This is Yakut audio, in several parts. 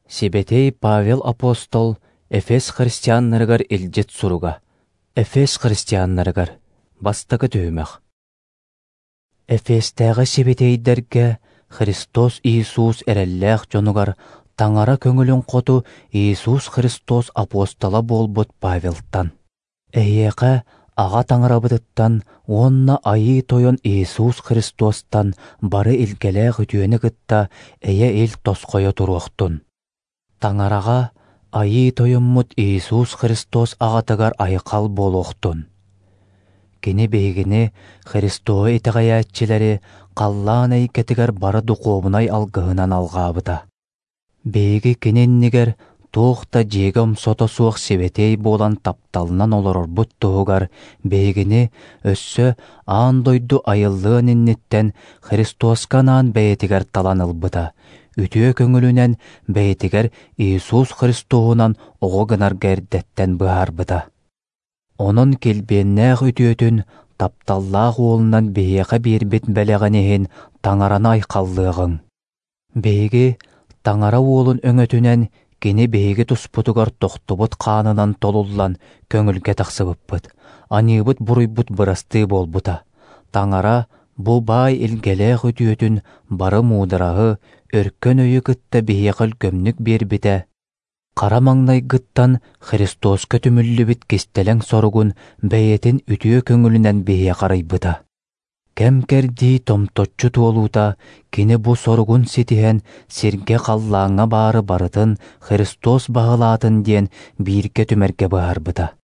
Сибэтиэй Павел апостол Эфес христианнарыгар илдьит суруга. Эфес христианнарыгар. Бастакы түһүмэх. Эфестээҕи сибэтиэйдэргэ Христос Иисус эрэллээх дьонугар Таҥара көҥүлүн хоту Иисус Христос апостола буолбут Павелтан. Эһиэхэ Аҕа Таҥарабытыттан уонна Айыы Тойон Иисус Христостан бары илгэлээх үтүөнү кытта эйэ-ил тосхойо туруохтун. Таҥараҕа Айыы Тойоммут Иисус Христос аҕатыгар айхал буолуохтун. Кини биһигини, Христоһу итэҕэйээччилэри, халлаан эйгэтигэр бары духуобунай алгыһынан алҕаабыта. Биһиги кини иннигэр туох да дьиэгэ омсото суох сибэтиэй буолан тапталынан олорорбут туһугар биһигини өссө аан дойду айыллыан инниттэн Христоска анаан бэйэтигэр талан ылбыта, үтүө көҥүлүнэн бэйэтигэр Иисус Христоһунан оҕо гынарга эрдэттэн быһаарбыта. Онон килбиэннээх үтүөтүн, тапталлаах уолунан биһиэхэ биэрбит бэлэҕин иһин Таҥараны айхаллыаҕыҥ. Биһиги Таҥара Уолун өҥөтүнэн Кини биһиги туспутугар тохтубут хаанынан толуллан көҥүлгэ тахсыбыппыт, аньыыбыт-буруйбут бырастыы буолбута. Таҥара бу баай илгэлээх үтүөтүн бары муудараһы, өркөн өйү кытта биһиэхэ өлгөмнүк биэрбитэ, хара маҥнайгыттан Христоска түмүллүбүт кистэлэҥ соругун бэйэтин үтүө көҥүлүнэн биһиэхэ арыйбыта. Кэм-кэрдии томточчу туолуута кини бу соругун ситиһэн сиргэ-халлааҥҥа баары барытын Христос баһылаатын диэн бииргэ түмэргэ быһаарбыта.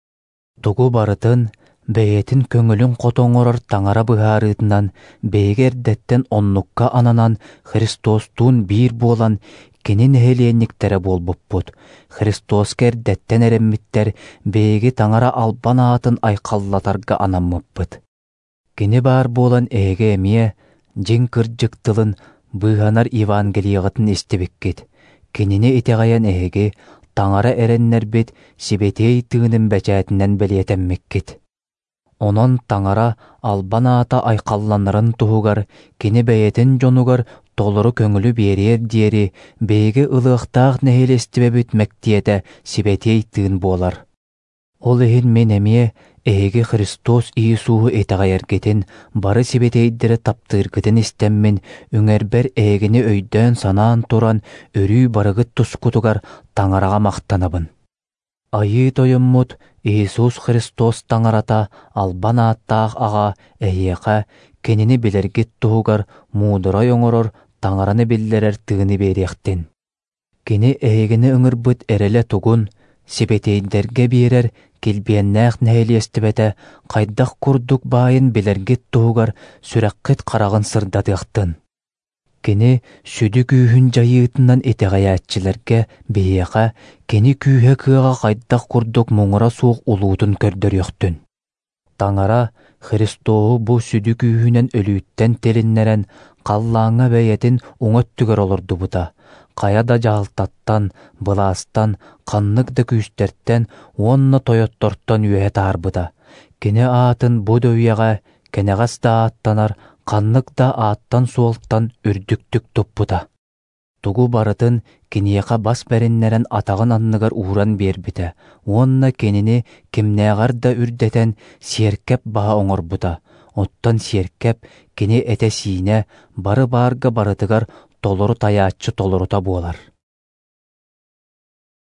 Тугу барытын бэйэтин көҥүлүн хото оҥорор Таҥара быһаарыытынан биһиги эрдэттэн оннукка ананан Христостуун биир буолан кини нэһилиэнньиктэрэ буолбуппут, Христоска эрдэттэн эрэммиттэр биһиги Таҥара албан аатын айхаллатарга анаммыппыт. Кини баар буолан эһиги эмиэ дьиҥ кырдьык тылын быыһанар Евангелиеҕытын истибиккит. Кинини итэҕэйэн эһиги Таҥара эрэннэрбит Сибэтиэй Тыынын бэчээтинэн бэлиэтэммиккит. Онон Таҥара албан аата айхалланарын туһугар Кини бэйэтин дьонугар толору көҥүлү биэриэр диэри биһиги ылыахтаах нэһилиэстибэбит мэктиэтэ Сибэтиэй Тыын буолар. Ол иһин мин эмиэ эһиги Христос Иисуһу итэҕэйэргитин, бары сибэтиэйдэри таптыыргытын истэммин, үҥэрбэр эһигини өйдөөн-санаан туран, өрүү барыгыт тускутугар Таҥараҕа махтанабын. Айыы Тойоммут Иисус Христос Таҥарата албан ааттаах Аҕа эһиэхэ Кинини билэргит туһугар муударай оҥорор Таҥараны биллэрэр тыыны биэриэхтин. Кини эһигини ыҥырбыт эрэлэ тугун, сибэтиэйдэргэ биэрэр килбиэннээх нэһилиэстибэтэ хайдах курдук баайын билэргит туһугар сүрэххит хараҕын сырдатыахтын. Кини сүдү күүһүн дьайыытынан итэҕэйээччилэргэ биһиэхэ кини күүһэ-кыаҕа хайдах курдук муҥура суох улуутун көрдөрүөхтүн. Таҥара Христоһу бу сүдү күүһүнэн өлүүттэн тилиннэрэн, халлааҥҥа бэйэтин уҥа өттүгэр олордубута, хайа да дьаһалтаттан, былаастан, ханнык да күүстэртэн уонна тойоттортон үөһэ таһаарбыта. Кини аатын бу да үйэҕэ, кэнэҕэс да ааттанар ханнык да ааттан-суолтан үрдүктүк туппута. Тугу барытын киниэхэ бас бэриннэрэн атаҕын анныгар ууран биэрбитэ уонна кинини кимнээҕэр да үрдэтэн сиэркэп баһа оҥорбута, оттон сиэркэп кини этэ-сиинэ бары баарга барытыгар толору тайааччы толорута буолар.